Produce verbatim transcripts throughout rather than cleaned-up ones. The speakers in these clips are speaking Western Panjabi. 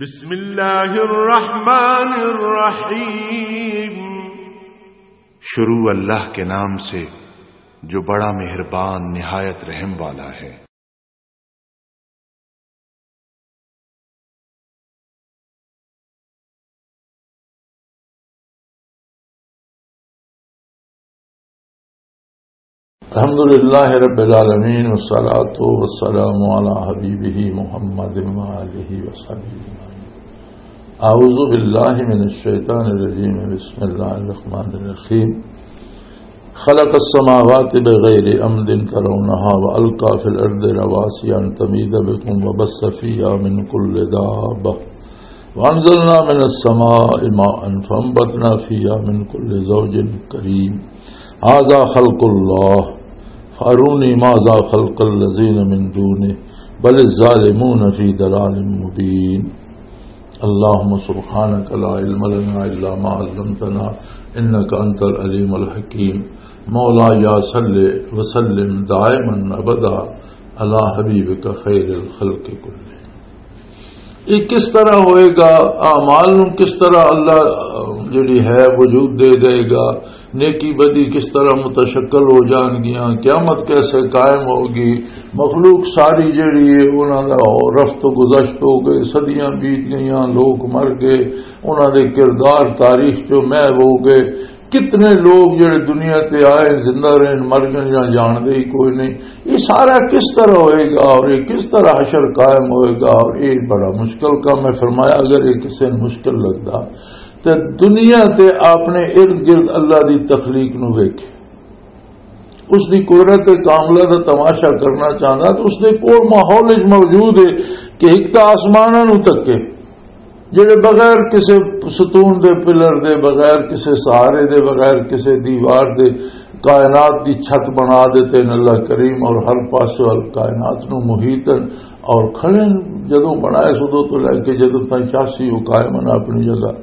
بسم اللہ الرحمن الرحیم۔ شروع اللہ کے نام سے، جو بڑا مہربان، نہایت رحم والا ہے۔ الحمد لله رب العالمين، والصلاة والسلام على حبيبه محمد وآله وصحبه أجمعين. أعوذ بالله من الشيطان الرجيم. بسم الله الرحمن الرحيم. خلق السماوات بغير عمد ترونها وألقى في الأرض رواسي أن تميد بكم وبث فيها من كل دابة. وأنزلنا من السماء ماء فأنبتنا فيها من كل زوج كريم. هذا خلق الله فأروني ماذا خلق الذين من دونه بل الظالمون في ضلال مبين. اللهم سبحانك لا علم لنا إلا ما علمتنا إنك أنت العليم الحكيم. مولاي صل وسلم دائما أبدا على حبيبك خير الخلق كلهم. یہ کس طرح ہوئے گا؟ اعمال نوں کس طرح اللہ، آ، جڑی ہے وجود دے دے گا؟ نیکی بدی کس طرح متشکل ہو جان گیاں؟ قیامت کیسے قائم ہوگی؟ مخلوق ساری جڑی ہے، انہاں دا رفت و گزشت ہو گئے، صدیاں بیت گئیاں، لوگ مر گئے، انہاں دے کردار تاریخ چوں محو ہو گئے۔ کتنے لوگ جڑے دنیا تے آئے، زندہ رہن، مر گئے یا جان دے ہی کوئی نہیں۔ یہ سارا کس طرح ہوئے گا اور یہ کس طرح حشر قائم ہوئے گا؟ اور یہ بڑا مشکل کام ہے۔ فرمایا، اگر یہ کسی نوں مشکل لگدا تے دنیا تے اپنے ارد گرد اللہ دی تخلیق نوں ویکھے، اس دی قدرت کاملہ دا تماشا کرنا چاہندا، تو اس دے کول ماحول وچ موجود ہے کہ ایک تاں آسماناں نوں تکے، جڑے بغیر کسے ستون دے، پلر دے، بغیر کسے سہارے دے، بغیر کسے دیوار دے کائنات دی چھت بنا دیتے ہیں اللہ کریم، اور ہر پاسے کائنات نوں محیطن اور کھڑے ہیں۔ جدوں بنائے سدوں تو لے کے جدوں تائیں چاسی وہ قائم ہیں اپنی جگہ۔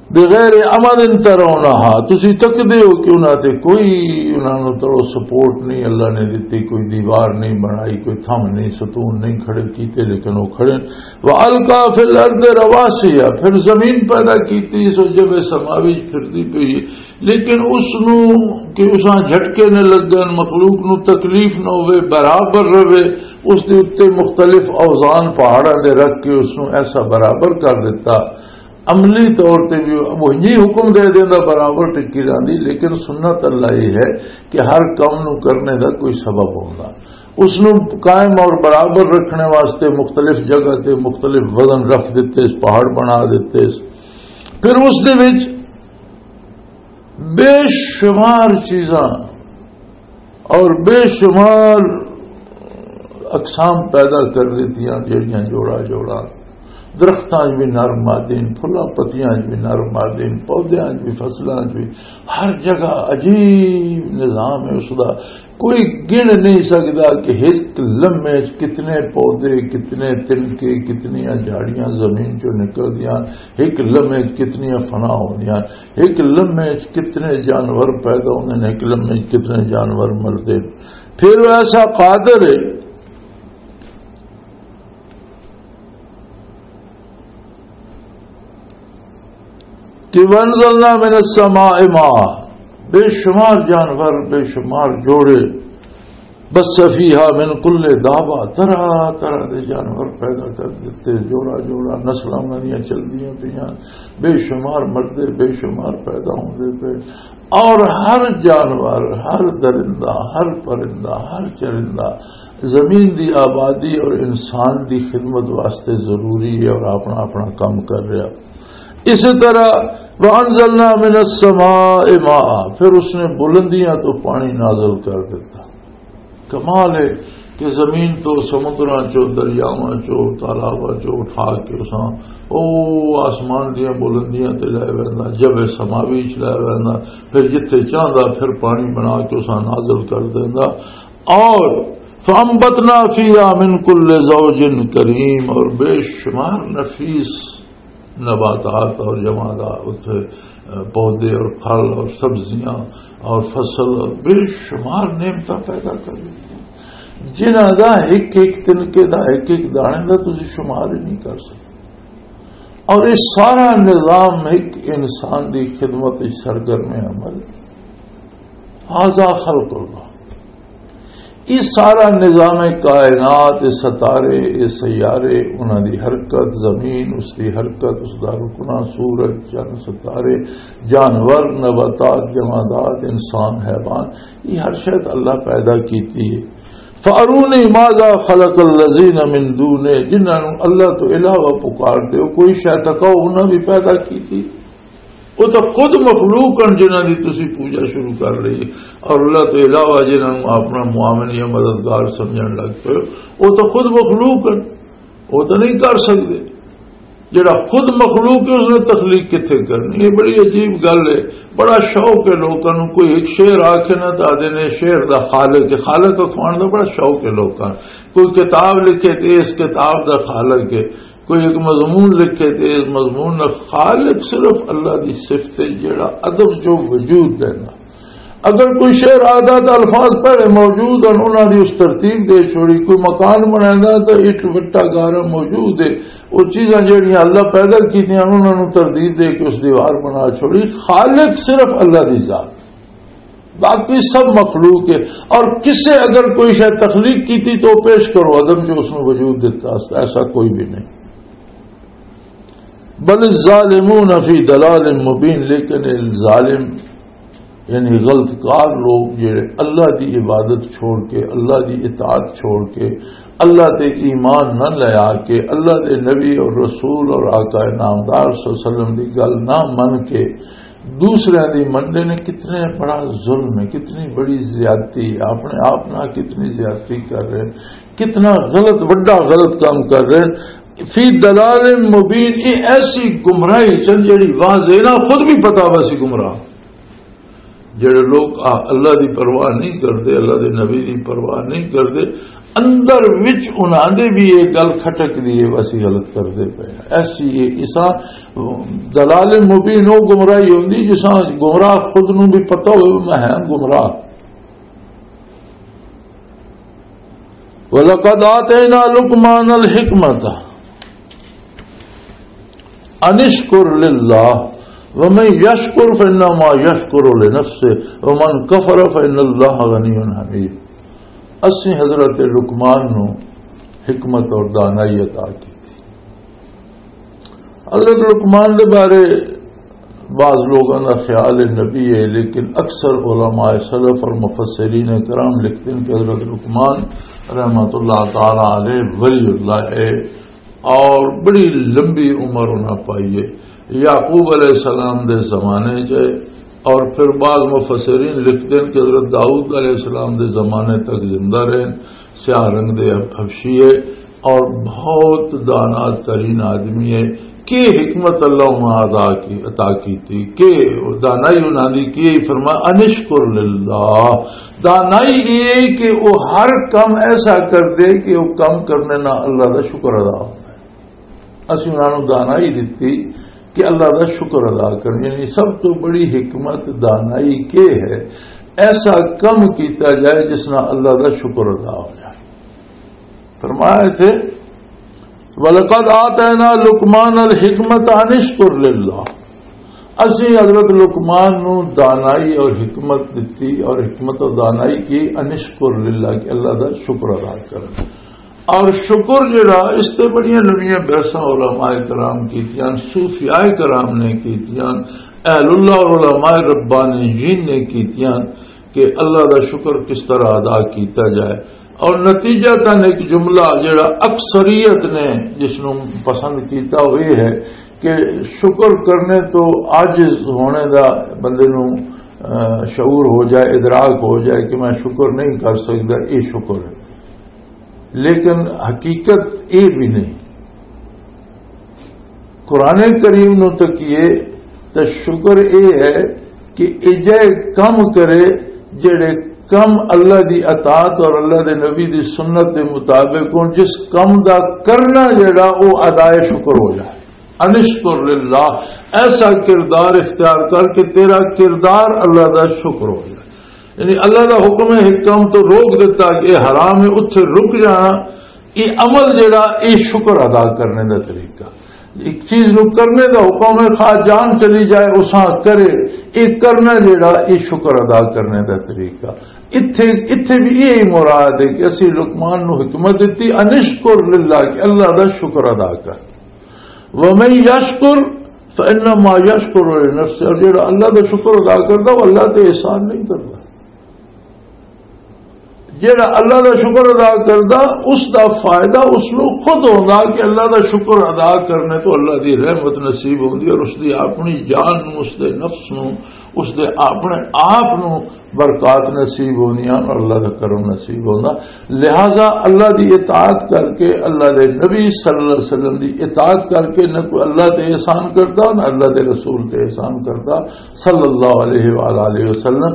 بغیر عمد ترونہا، تسی تکدے ہو کہ انہاں تے کوئی، انہاں نوں تو سپورٹ نہیں اللہ نے دتی، کوئی دیوار نہیں بنائی، کوئی تھم نہیں، ستون نہیں کھڑے کیتے، لیکن وہ کھڑے۔ وَأَلْقَى فِي الْأَرْضِ رَوَاسِيَ، پھر زمین پیدا کیتی، سو جب سماوی پھردی پئی ہے، لیکن اس نوں کہ اساں جھٹکے نہ لگن، مخلوق نوں تکلیف نہ ہوئے، برابر رہے، اس دے اُتے مختلف اوزان پہاڑاں دے رکھ کے اس نوں ایسا برابر کر دتا۔ عملی طور تے بھی وہی حکم دے دیندا، برابر ٹکی جاندی، لیکن سنت اللہ یہ ہے کہ ہر کم نوں کرنے دا کوئی سبب ہوندا۔ اس نوں قائم اور برابر رکھنے واسطے مختلف جگہ تے مختلف وزن رکھ دتے، پہاڑ بنا دتے۔ پھر اس دے وچ بے شمار چیزاں اور بے شمار اقسام پیدا کر دیتیاں، جڑیاں جوڑا جوڑا، درختاں 'چ بھی نر مادین، پھلاں پتیاں 'چ بھی نر مادین، پودیاں 'چ بھی، فصلاں 'چ بھی، ہر جگہ عجیب نظام ہے اس دا۔ کوئی گن نہیں سکدا کہ ایک لمحے 'چ کتنے پودے، کتنے تنکے، کتنیاں جھاڑیاں زمین 'چوں نکلدیاں، ایک لمحے 'چ کتنیاں فنا ہوندیاں۔ ایک لمحے 'چ کتنے جانور پیدا ہوندے نے، ایک لمحے 'چ کتنے جانور مردے۔ پھر وہ ایسا قادر ہے کہ وَأَنزَلْنَا مِنَ السَّمَاءِ مَاءً، بے شمار جانور، بے شمار جوڑے، بس فیہا من کل دابہ، طرح طرح دے جانور پیدا کر دیتے، جوڑا جوڑا نسلاں انہاں دیاں چلدیاں پیاں، بے شمار مردے، بے شمار پیدا ہوندے پے، اور ہر جانور، ہر درندہ، ہر پرندہ، ہر چرندہ زمین دی آبادی اور انسان دی خدمت واسطے ضروری ہے اور اپنا اپنا کام کر رہا۔ اسی طرح وَأَنزَلْنَا مِنَ السَّمَاءِ مَاءً، پھر اس نے بلندیاں تو پانی نازل کر دیتا۔ کمال ہے کہ زمین تو سمندراں چوں، دریاواں چوں، تالاباں چوں اٹھا کے اساں او آسمان دیاں بلندیاں تے لے ویندا، جب سماوی چ لے ویندا، پھر جتھے چاہندا پھر پانی بنا کے اساں نازل کر دیندا۔ اور فَأَنبَتْنَا فِيهَا مِن كُلِّ زَوْجٍ كَرِيمٍ، اور بے شمار نفیس نباتات اور جمادات، اتھے، آ، پودے اور پھل اور سبزیاں اور فصل اور بے شمار نعمتاں پیدا کر دیتی، جنہاں دا ایک ایک تنکے دا، ایک ایک دانے دا تسی شمار ہی نہیں کر سکتے۔ اور یہ سارا نظام ایک انسان دی خدمت وچ سرگرم عمل، هذا خلق اللہ۔ یہ سارا نظام کائنات، یہ ستارے، یہ سیارے، انہاں دی حرکت، زمین، اس دی حرکت، اس دا رکنا، سورج، چند، ستارے، جانور، نباتات، جمادات، انسان، حیوان، یہ ہر شے تے اللہ پیدا کیتی ہے۔ فَأَرُونِي مَاذَا خَلَقَ الَّذِينَ مِن دُونِهِ، جنہاں نوں اللہ تو علاوہ پکار دے ہو، کوئی شے تکاؤ، انہاں بھی پیدا کیتی۔ وہ تو خود مخلوق ہیں جنہاں دی تسی پوجا شروع کر لئی، اور اللہ تو علاوہ جنہاں نوں اپنا معاون یا مددگار سمجھن لگ پئے ہو، وہ تو خود مخلوق ہیں، وہ تو نہیں کر سکتے۔ جڑا خود مخلوق ہے، اس نے تخلیق کتھے کرنی؟ یہ بڑی عجیب گل ہے۔ بڑا شوق ہے لوکاں نوں، کوئی ایک شعر آکھے نا، تو آدھے نے شعر دا خالق ہے۔ خالق اخوان دا بڑا شوق ہے لوکاں نوں۔ کوئی کتاب لکھے تے اس کتاب دا خالق ہے، کوئی ایک مضمون لکھے تے اس مضمون دا خالق صرف اللہ دی صفت ہے، جڑا عدم جو وجود دینا۔ اگر کوئی شعر آدھا تو الفاظ پہلے موجود ہیں، انہاں دی اس ترتیب دے چھوڑی، کوئی مکان بنانا تو اٹ وٹا گارا موجود ہے، وہ چیزاں جڑیاں اللہ پیدا کیتیاں، انہاں نوں ترتیب دے کے اس دیوار بنا چھوڑی۔ خالق صرف اللہ دی ذات، باقی سب مخلوق ہے۔ اور کسے اگر کوئی شے تخلیق کیتی تو پیش کرو عدم جو اس نے وجود دیتا، ایسا کوئی بھی نہیں۔ بل الظالمون فی ضلال مبین، لیکن ظالم یعنی غلط کار لوگ جڑے اللہ دی عبادت چھوڑ کے، اللہ دی اطاعت چھوڑ کے، اللہ تے ایمان نہ لیا کے، اللہ دے نبی اور رسول اور آقا نامدار صلی اللہ علیہ وسلم دی گل نہ من کے دوسرے دی مننے نے، کتنے بڑا ظلم ہے، کتنی بڑی زیادتی ہے، اپنے آپ نہ کتنی زیادتی کر رہے ہیں، کتنا غلط، بڑا غلط کام کر رہے ہیں۔ فی ضلال مبین، یہ ایسی گمراہی چن جڑی واضح نہ، خود بھی پتا ویسی گمراہ۔ جڑے لوگ آ-، اللہ دی پرواہ نہیں کردے، اللہ دے نبی دی پرواہ نہیں کردے، اندر وچ انہاں دے بھی یہ گل کھٹک دی ہے، اسی غلط کردے پئے ہاں۔ ایسی یہ اساں دلال مبین، وہ گمراہی ہوندی جساں گمراہ خود نوں بھی پتہ ہوئے میں ہاں گمراہ۔ وَلَقَدْ آتَيْنَا لُقْمَانَ الْحِكْمَةَ أَنِ اشْكُرْ لِلَّهِ وَمَنْ يَشْكُرْ فَإِنَّمَا يَشْكُرُ لِنَفْسِهِ وَمَنْ كَفَرَ فَإِنَّ اللَّهَ غَنِيٌّ حَمِيدٌ۔ اسیں حضرت لقمان نو حکمت اور دانائی عطا کی تھی۔ حضرت لقمان دے بارے بعض لوگوں کا خیال نبی ہے، لیکن اکثر علماء سلف اور مفسرین کرام لکھتے ہیں کہ حضرت لقمان رحمۃ اللہ تعالی علیہ ولی اللہ ہے اور بڑی لمبی عمر انہاں پائی ہے۔ یعقوب علیہ السلام دے زمانے چ ہے، اور پھر بعض مفسرین لکھتے ہیں کہ حضرت داؤد علیہ السلام دے زمانے تک زندہ رہے، سیاہ رنگ دے حبشی ہے، اور بہت دانا ترین آدمی ہے۔ کہ حکمت اللہ انہاں عطا کی، عطا کی تھی، کہ دانائی انہاں دی کی؟ فرمایا، "انشکر للہ۔" دانائی یہ کہ وہ ہر کم ایسا کر دے کہ وہ کم کرنے نہ اللہ دا شکر ادا ہوتا ہے۔ اسی انہاں نوں دانائی دتی کہ اللہ دا شکر ادا کرن، یعنی سب تو بڑی حکمت دانائی کے ہے، ایسا کم کیتا جائے جس نال اللہ دا شکر ادا ہو جائے۔ فرمایا تھے، "وَلَقَدْ آتَيْنَا لُقْمَانَ الْحِكْمَةَ أَنِ اشْكُرْ لِلَّهِ۔" اسی حضرت لقمان نو دانائی اور حکمت دتی، اور حکمت اور دانائی کی، "انشکر للہ"، کہ اللہ دا شکر ادا کرن۔ اور شکر جڑا، اس تے بڑیاں لمبیاں بحثاں علماء کرام کیتیاں، صوفیاء کرام نے کیتیاں، اہل اللہ اور علماء ربانیین نے کیتیاں کہ اللہ دا شکر کس طرح ادا کیتا جائے۔ اور نتیجہ تن ایک جملہ جڑا اکثریت نے جس نوں پسند کیتا، وہ یہ ہے کہ شکر کرنے تو عاجز ہونے دا بندے نوں، آ، شعور ہو جائے، ادراک ہو جائے کہ میں شکر نہیں کر سکتا، یہ شکر ہے۔ لیکن حقیقت یہ بھی نہیں۔ قرآن کریم نو تکیے تو شکر یہ ہے کہ ایجے کم کرے، جڑے کم اللہ دی اطاعت اور اللہ دے نبی دی سنت دے مطابق ہوں، جس کم دا کرنا جڑا، وہ ادائے شکر ہو جائے۔ انشکر للہ، ایسا کردار اختیار کر کہ تیرا کردار اللہ دا شکر ہو جائے۔ یعنی اللہ دا حکم ہے، ایک کام تو روک دیتا کہ یہ حرام ہے، اتھے رک جانا، یہ عمل جڑا، یہ شکر ادا کرنے دا طریقہ۔ ایک چیز نو کرنے دا حکم ہے، خواہ جان چلی جائے، اساں کرے۔ یہ کرنا جڑا، یہ شکر ادا کرنے دا طریقہ۔ اتھے، اتھے بھی یہی مراد ہے کہ اسی لقمان نو حکمت دیتی، انشکر للہ، کہ اللہ دا شکر ادا کر۔ ومن یشکر فانما یشکر لنفسہ، اور جڑا اللہ دا شکر ادا کردا، وہ اللہ تے احسان نہیں کردا۔ جڑا اللہ دا شکر ادا کردا، اس دا فائدہ اس نو خود ہوندا کہ اللہ دا شکر ادا کرنے تو اللہ دی رحمت نصیب ہوندی، اور اس دی اپنی جان نو، اس دے نفس نو، اس دے اپنے آپ نو برکات نصیب ہوندیاں اور اللہ دا کرم نصیب ہوندا۔ لہذا اللہ دی اطاعت کر کے، اللہ دے نبی صلی اللہ علیہ وسلم دی اطاعت کر کے نہ کوئی اللہ تے احسان کردا، نہ اللہ دے رسول تے احسان کردا، صلی اللہ علیہ وآلہ وسلم،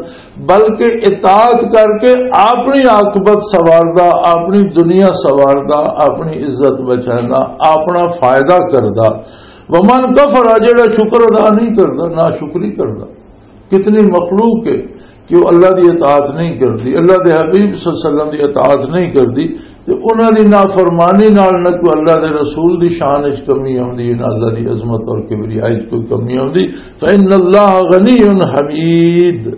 بلکہ اطاعت کر کے اپنی عاقبت سواردا، اپنی دنیا سواردا، اپنی عزت بچاندا، اپنا فائدہ کردا۔ ومن کفر، جڑا شکر ادا نہیں کردا، ناشکری کردا۔ کتنی مخلوق ہے کہ وہ اللہ دی اطاعت نہیں کرتی، اللہ دے حبیب صلی اللہ علیہ وسلم دی اطاعت نہیں کرتی، تے انہاں دی نافرمانی نال نہ کوئی اللہ دے رسول دی شان وچ کمی آوندی ہے، نہ اللہ دی عظمت اور کبریائی وچ کوئی کمی آوندی۔ فإن اللہ غنی حمید،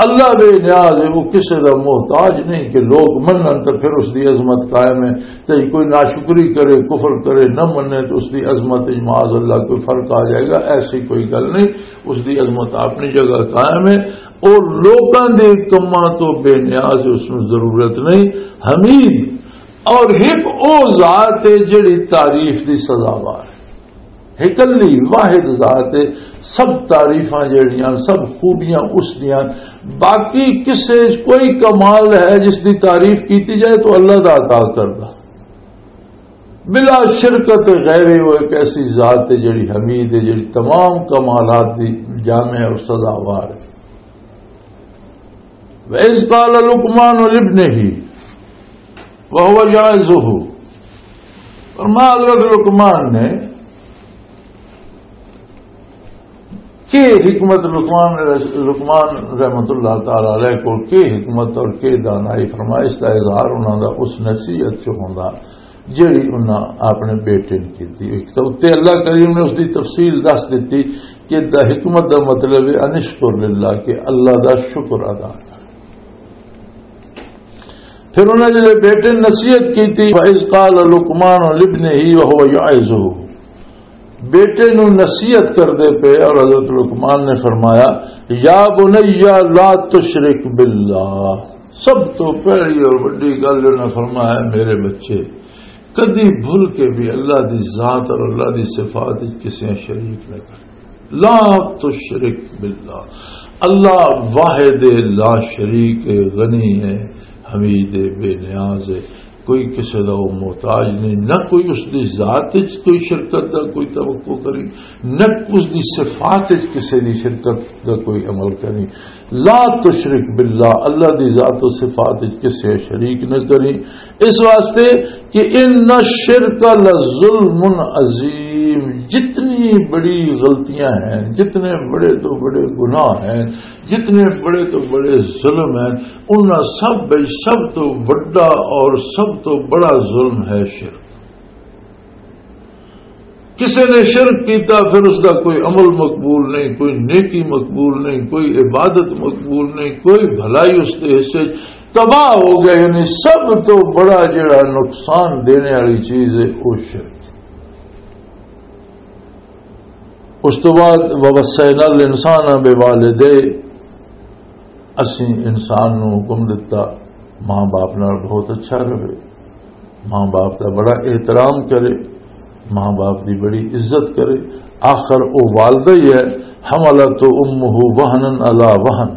اللہ بے نیاز ہے، وہ کسے دا محتاج نہیں کہ لوگ منن تے پھر اس دی عظمت قائم ہے۔ تے کوئی ناشکری کرے، کفر کرے، نہ منے، تے اس دی عظمت وچ معاذ اللہ کوئی فرق آ جائے گا، ایسی کوئی گل نہیں۔ اس دی عظمت اپنی جگہ قائم ہے۔ او لوکاں دے کماں تو بے نیاز ہے، اس نوں ضرورت نہیں۔ حمید، اور ہک او ذات ہے جڑی تعریف دی سزاوار ہے۔ ہکلی واحد ذات ہے، سب تعریفاں جڑیاں، سب خوبیاں اس دیاں۔ باقی کسے وچ کوئی کمال ہے جس دی تعریف کیتی جائے تو اللہ دا عطا کردا۔ بلا شرکت غیرے، وہ ایک ایسی ذات ہے جڑی حمید ہے، جڑی تمام کمالات دی جامع اور سزاوار ہے۔ وَإِذْ قَالَ لُقْمَانُ لِابْنِهِ وَهُوَ يَعِظُهُ، فرمایا حضرت لقمان نے کہ حکمت لقمان، لقمان رحمت اللہ تعالی علیہ کو کہ حکمت اور کہ دانائی، فرمایا اس کا اظہار انہوں دا اس نصیحت چ ہوندا جڑی انہاں اپنے بیٹے نے کیتی۔ ایک تو اتنے اللہ کریم نے اس دی تفصیل دس دیتی کہ دا حکمت دا مطلب ہے انشکر للہ، کہ اللہ دا شکر ادا کر۔ پھر انہاں جڑے بیٹے نے نصیحت کیتی، وَإِذْ قَالَ لُقْمَانُ لِابْنِهِ وَهُوَ يَعِظُهُ، بیٹے نو نصیحت کردے پے اور حضرت لقمان نے فرمایا، یا بنی لا تشرک باللہ۔ سب تو پہلی اور بڑی گل انہاں فرمایا، میرے بچے، کدی بھول کے بھی اللہ دی ذات اور اللہ دی صفات وچ کسے شریک نہ کر۔ لا تشرک باللہ، اللہ واحد لا شریک ہے، غنی ہے، حمید ہے، بے نیاز ہے، کوئی کسے دا وہ محتاج نہیں، نہ کوئی اس دی ذات وچ کوئی شرکت دا کوئی توقع کری، نہ اس دی صفات وچ کسے دی شرکت دا کوئی عمل کری۔ لا تشرک باللہ، اللہ دی ذات و صفات وچ کسے شریک نہ کری۔ اس واسطے کہ ان الشرک لظلم عظیم، جتنی بڑی غلطیاں ہیں، جتنے بڑے تو بڑے گناہ ہیں، جتنے بڑے تو بڑے ظلم ہیں، ان سب وچ سب تو بڑا اور سب تو بڑا ظلم ہے شرک۔ کسے نے شرک کیتا، پھر اس دا کوئی عمل مقبول نہیں، کوئی نیکی مقبول نہیں، کوئی عبادت مقبول نہیں، کوئی بھلائی اس دے حصے چ، تباہ ہو گیا۔ یعنی سب تو بڑا جڑا نقصان دینے والی چیز ہے، وہ شرک۔ اس تو بعد وَوَصَّيْنَا الْإِنسَانَ بِوَالِدَيْهِ، اسی انسان نو حکم دتا ماں باپ نال بہت اچھا رہے، ماں باپ دا بڑا احترام کرے، ماں باپ دی بڑی عزت کرے۔ آخر او والدہ ہی ہے، حملت امہ وہنا علی وہن،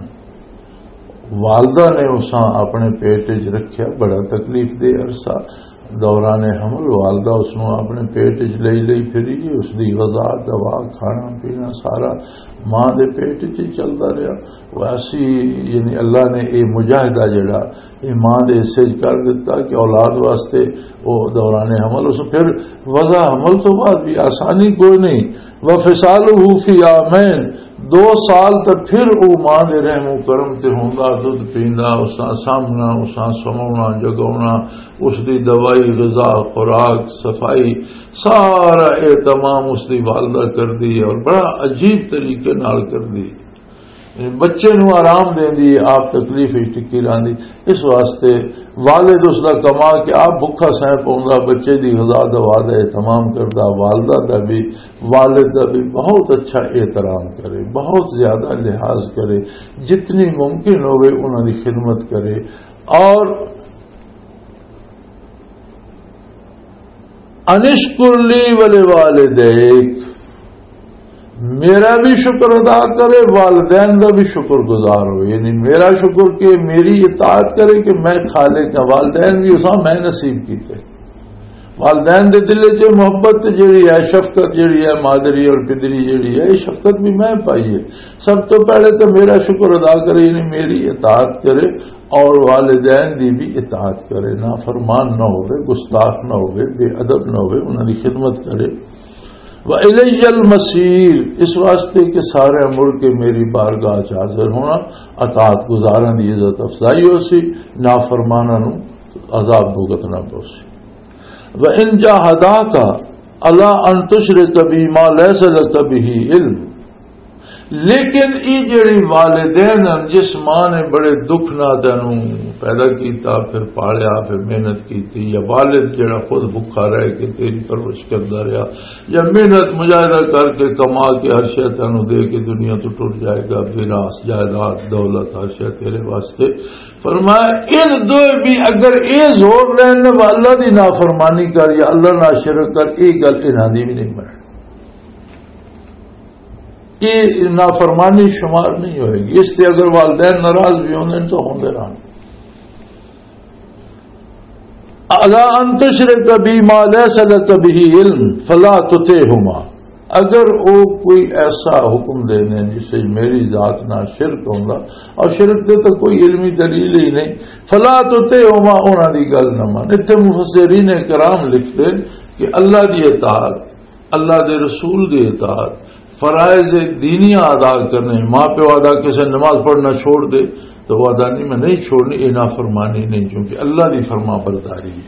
والدہ نے اساں اپنے پیٹ وچ رکھیا بڑا تکلیف دہ عرصہ، دوران حمل والدہ اس نوں اپنے پیٹ وچ لئی لئی پھری، اس دی غذا، دوا، کھانا پینا سارا ماں دے پیٹ وچ ہی چلدا رہیا۔ ویسی یعنی اللہ نے اے مجاہدہ جڑا اے ماں دے حصے وچ کر دتا کہ اولاد واسطے او دوران حمل اس پھر وضع حمل تو بعد بھی آسانی کوئی نہیں۔ وفصالہ فی عامین، دو سال تے پھر او ماں دے رحم و کرم تے ہوندا، دودھ پیندا، اساں سامنا، اساں سونا، جگاونا، اس دی دوائی، غذا، خوراک، صفائی، سارا اہتمام اس دی والدہ کردی ہے اور بڑا عجیب طریقے نال کردی ہے۔ بچے نوں آرام دیندی ہے، آپ تکلیف وچ ٹکی رہندی۔ اس واسطے والد اس دا کما کے آپ بھکھا سہ پاوندا، بچے دی غذا دوا دا اہتمام کردا، والدہ دا بھی، والد دا بھی بہت اچھا احترام کرے، بہت زیادہ لحاظ کرے، جتنی ممکن ہوئے انہاں دی خدمت کرے۔ اور انشکر لی ولوالدیک، میرا بھی شکر ادا کرے، والدین دا بھی شکر گزار ہو، یعنی میرا شکر کہ میری اطاعت کرے کہ میں خالق ہاں، والدین بھی اساں میں نصیب کیتے۔ والدین دے دل وچ محبت جڑی ہے، شفقت جڑی ہے، مادری اور پدری جڑی ہے، یہ شفقت بھی میں پائی ہے۔ سب تو پہلے تو میرا شکر ادا کرے، یعنی میری اطاعت کرے، اور والدین دی بھی اطاعت کرے، نافرمان نہ ہوئے، گستاخ نہ ہوئے، بے ادب نہ ہوئے، انہاں دی خدمت کرے۔ وَإِلَيَّ الْمَصِيرُ، اس واسطے کہ سارے مڑ کے میری بارگاہ چ حاضر ہونا، اطاعت گزاراں دی عزت افزائی ہو سی، نافرماناں نوں عذاب بھگتنا پو سی۔ وَإِن جَاهَدَاكَ عَلَىٰ أَن تُشْرِكَ بِي مَا لَيْسَ لَكَ بِهِ عِلْمٌ، لیکن یہ جڑی والدین ہیں، جس ماں نے بڑے دکھ نہ تینوں پیدا کیتا، پھر پالیا، پھر محنت کیتی، یا والد جڑا خود بھکھا رہ کے تیری پرورش کردا رہیا، یا محنت مجاہدہ کر کے کما کے ہر شے تینوں دے کے دنیا تو ٹر جائے گا، میراث، جائیداد، دولت، ہر شے تیرے واسطے۔ فرمایا، ان دو بھی اگر اے زور لین نہ، اللہ دی نافرمانی کر یا اللہ نہ شرک کر، اے گل انہاں دی بھی نہیں بنے۔ یہ نافرمانی شمار نہیں ہوئے گی۔ اس تے اگر والدین ناراض بھی ہوندے ہیں تو ہوندے رہن۔ الا ان تشرک بی ما لیس لک بہ علم فلا تطعہما، اگر وہ کوئی ایسا حکم دے دیں جس سے میری ذات نہ شرک ہوندا، اور شرک دے تو کوئی علمی دلیل ہی نہیں، فلا تطعہما، انہاں دی گل نہ من۔ اتنے مفسرین کرام لکھتے کہ اللہ دی اطاعت، اللہ دے رسول دی اطاعت، فرائض دینیاں ادا کرنے، ماں پیو آدا کسے نماز پڑھنا چھوڑ دے تو وہ آدا نہیں، میں نہیں چھوڑنی، یہ نافرمانی نہیں، کیونکہ اللہ دی فرما برداری ہے۔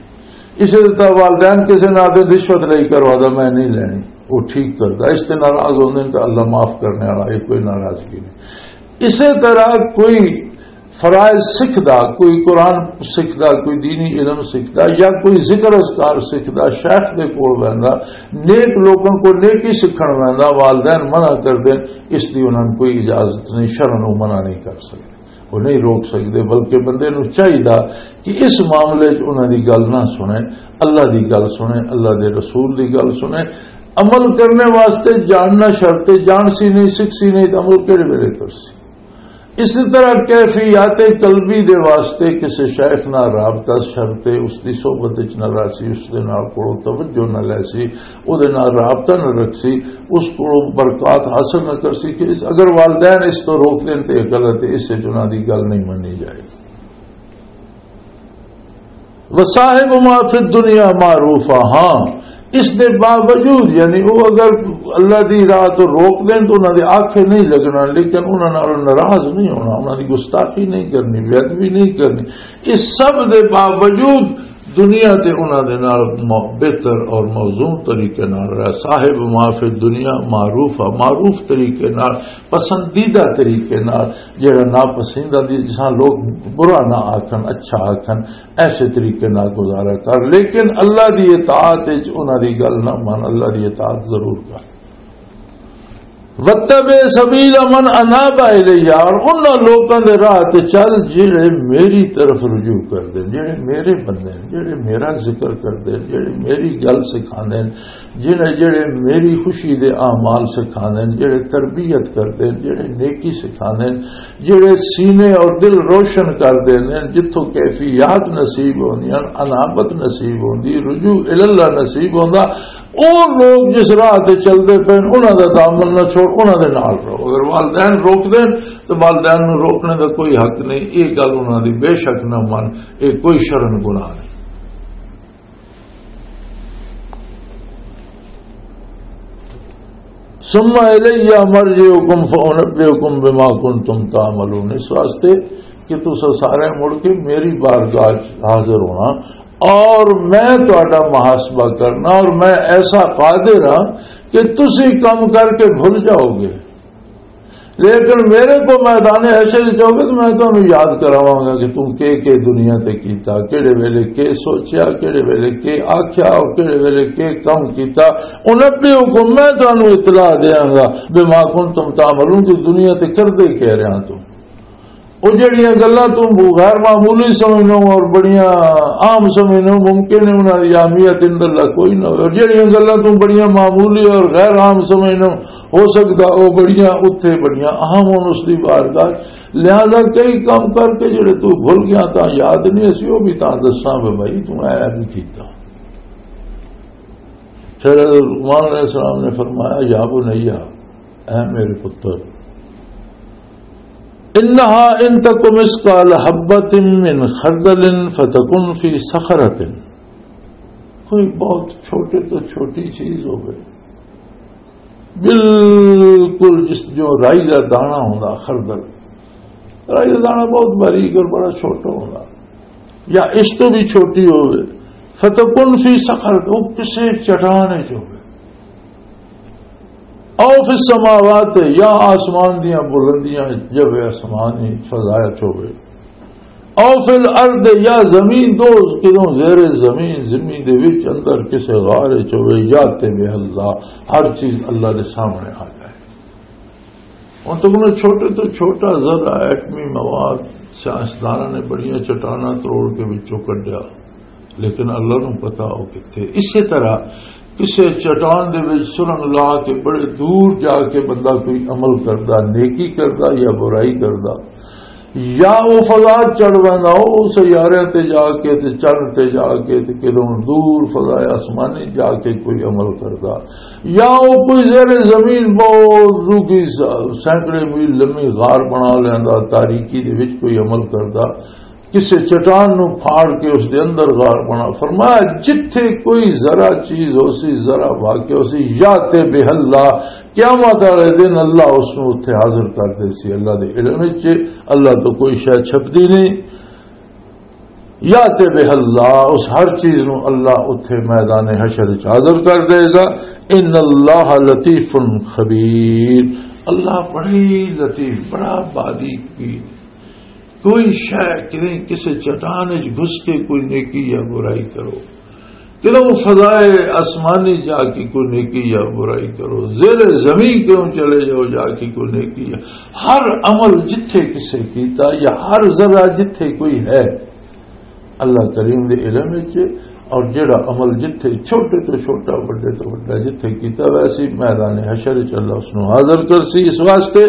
اسے طرح والدین کسے نہ آدھے رشوت لئی کروا دا، میں نہیں لینی، وہ ٹھیک کردا، اس تے ناراض ہوندے نے تو اللہ معاف کرنے والا، یہ کوئی ناراضگی نہیں۔ اسے طرح کوئی فرائض سکھدا، کوئی قرآن سکھدا، کوئی دینی علم سکھدا، یا کوئی ذکر اذکار سکھدا، شیخ دے کول ویندا، نیک لوکاں کو نیکی سکھن ویندا، والدین منع کر دین، اس دی انہاں نوں کوئی اجازت نہیں، شرعاً او منع نہیں کر سکدے، او نہیں روک سکدے، بلکہ بندے نوں چاہیدا کہ اس معاملے وچ انہاں دی گل نہ سنے، اللہ دی گل سنے، اللہ دے رسول دی گل سنے۔ عمل کرنے واسطے جاننا شرط ہے، جان سی نہیں، سکھ سی نہیں، تو عمل کہڑے ویلے کر سی؟ اسی طرح کیفیات قلبی دے واسطے کسے شیخ نال رابطہ شرط ہے، اس دی صحبت وچ نہ رہسی، اس دے نال کولوں توجہ نہ لیسی، او دے نال رابطہ نہ رکھسی، اس کولوں برکات حاصل نہ کرسی۔ کہ اس، اگر والدین اس تو روک دین تے یہ غلط ہے، اس وچ انہاں دی گل نہیں مننی جائے گی۔ وصاحب ما فی الدنیا معروفا، ہاں، اس دے باوجود، یعنی وہ اگر اللہ دی راہ تو روک دین تو انہاں دے آکھے نہیں لگنا، لیکن انہاں نال ناراض نہیں ہونا، انہاں دی گستاخی نہیں کرنی، بے ادبی نہیں کرنی۔ اس سب دے باوجود دنیا تے انہاں دے نال م-، بہتر اور موزون طریقے نال رہ۔ صاحب ما فی الدنیا معروفا، معروف طریقے نال، پسندیدہ طریقے نال، جڑا ناپسندیدہ دی جساں لوگ برا نہ آکھن، اچھا آکھن، ایسے طریقے نال گزارا کر، لیکن اللہ دی اطاعت وچ انہاں دی گل نہ من، اللہ دی اطاعت ضرور کر۔ وَاتَّبِعْ سَبِيلَ مَنْ أَنَابَ إِلَيَّ، اور انہاں لوکاں دے راہ تے چل جڑے میری طرف رجوع کر دے، جڑے میرے بندے ہیں، جڑے میرا ذکر کر دے، جڑے میری گل سکھاندے ہیں، جڑے، جڑے میری خوشی دے اعمال سکھاندے ہیں، جڑے تربیت کردے ہیں، جڑے نیکی سکھاندے ہیں، جڑے سینے اور دل روشن کر دیندے ہیں، جتھوں کیفیات نصیب ہوندیاں، انابت نصیب ہوندی، رجوع الاللہ نصیب ہوندا۔ او لوگ جس راہ تے چلدے پئے نے، انہاں دا دامن نہ چھوڑ، انہاں دے نال رہو۔ اگر والدین روک دین تو والدین نوں روکنے دا کوئی حق نہیں، یہ گل انہاں دی بے شک نہ من، یہ کوئی شرن گناہ نہیں۔ ثم الی مرجعکم فانبئکم بما کنتم تعملون، اس واسطے کہ تساں سارے مڑ کے میری بارگاہ چ حاضر ہونا اور میں تہاڈا محاسبہ کرنا، اور میں ایسا قادر ہاں کہ تسی کم کر کے بھول جاؤ گے، لیکن میرے کو میدان حشر چ آؤ گے تو میں تانوں یاد کراواں گا کہ توں کے کے دنیا تے کیتا، کیڑے ویلے کے سوچیا، کیڑے ویلے کے آکھیا اور کیڑے ویلے کے کم کیتا۔ انبئکم، میں تانوں اطلاع دیاں گا، بما کنتم تعملون، کہ دنیا تے کردے کہہ رہا توں۔ او جڑیاں گلاں توں غیر معمولی سمجھنو اور بڑیاں عام سمجھنو، ممکن ہے انہاں دی اہمیت اندر لا کوئی نہ ہوئے۔ اور جڑیاں گلاں توں بڑیاں معمولی اور غیر عام سمجھنو، ہو سکدا او بڑیاں اتھے بڑیاں اہم ہون اس دی بارگاہ۔ لہذا کئی کام کر کے جڑے تو بھول گیا، تاں یاد نہیں اسی، او بھی تاں دساں وے بھائی، توں اے بھی کیتا۔ پھر لقمان علیہ السلام نے فرمایا، یا بنیا، اے میرے پتر، انہا ان تک مثقال حبۃ من خردل فتکن فی صخرۃ، کوئی بہت چھوٹے تو چھوٹی چیز ہو گئی، بالکل جس جو رائی کا دانا ہوندا، خردل، رائی کا دانا بہت باریک اور بڑا چھوٹا ہوندا، یا اس تو بھی چھوٹی ہوے، فتکن فی صخر، وہ کسے چٹان وچ ہوے، او فی السماوات، یا آسمان دیاں بلندیاں، جب آسمان ہی فضا وچ ہوے، او فی الارض، یا زمین دو کدوں زیر زمین، زمین دے وچ اندر کسے غار وچ ہوے، یات بہ اللہ، ہر چیز اللہ دے سامنے آ جائے۔ ہن تک انہاں چھوٹے تو چھوٹا ذرہ ایٹمی مواد سائنسداناں نے بڑیاں چٹاناں تروڑ کے وچوں کڈیا، لیکن اللہ نوں پتا وہ کتھے۔ اسی طرح کسے چٹان دے وچ سرنگ لا کے بڑے دور جا کے بندہ کوئی عمل کردا، نیکی کردا یا برائی کردا، یا وہ فضا چڑھ ویندا، وہ سیارے تے جا کے تے چند تے جا کے تے کدوں دور فضا آسمانی جا کے کوئی عمل کردا، یا وہ کوئی زیر زمین بہت ڈوگھی سا-، سینکڑے میل لمبی غار بنا لیندا، تاریکی دے وچ کوئی عمل کردا، کسے چٹان نو پھاڑ کے اس دے اندر غار بنا۔ فرمایا، جتھے کوئی ذرا چیز ہو سی، ذرا واقعہ ہو سی، یا تے بہ اللہ، قیامت والے دن اللہ اس نو اتھے حاضر کر دے سی۔ اللہ دے علم وچ اللہ تو کوئی شے چھپدی نہیں۔ یا تے بہ اللہ، اس ہر چیز نو اللہ اتھے میدان حشر وچ حاضر کر دے گا۔ ان اللہ لطیف خبیر، اللہ بڑی لطیف، بڑا باریک بھی۔ کوئی شے کریں کسے چٹان وچ گھس کے کوئی نیکی یا برائی کرو، کدوں فضائے آسمانی جا کے کوئی نیکی یا برائی کرو، زیر زمین کیوں چلے جاؤ جا کے کوئی نیکی یا، ہر عمل جتھے کسے کیتا یا ہر ذرہ جتھے کوئی ہے، اللہ کریم دے علم وچ۔ اور جڑا عمل جتھے چھوٹے تو چھوٹا، بڑے تو بڑا جتھے کیتا، ویسے ہی میدان حشر وچ اللہ اس نو حاضر کر سی، اس واسطے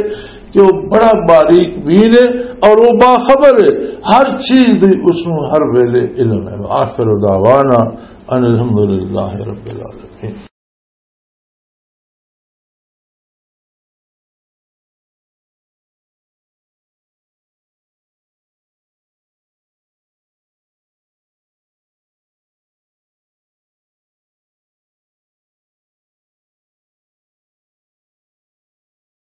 کہ وہ بڑا باریک بین ہے اور وہ باخبر ہے، ہر چیز دی اس نو ہر ویلے علم ہے۔ آخر دعوانا ان الحمدللہ رب العالمین۔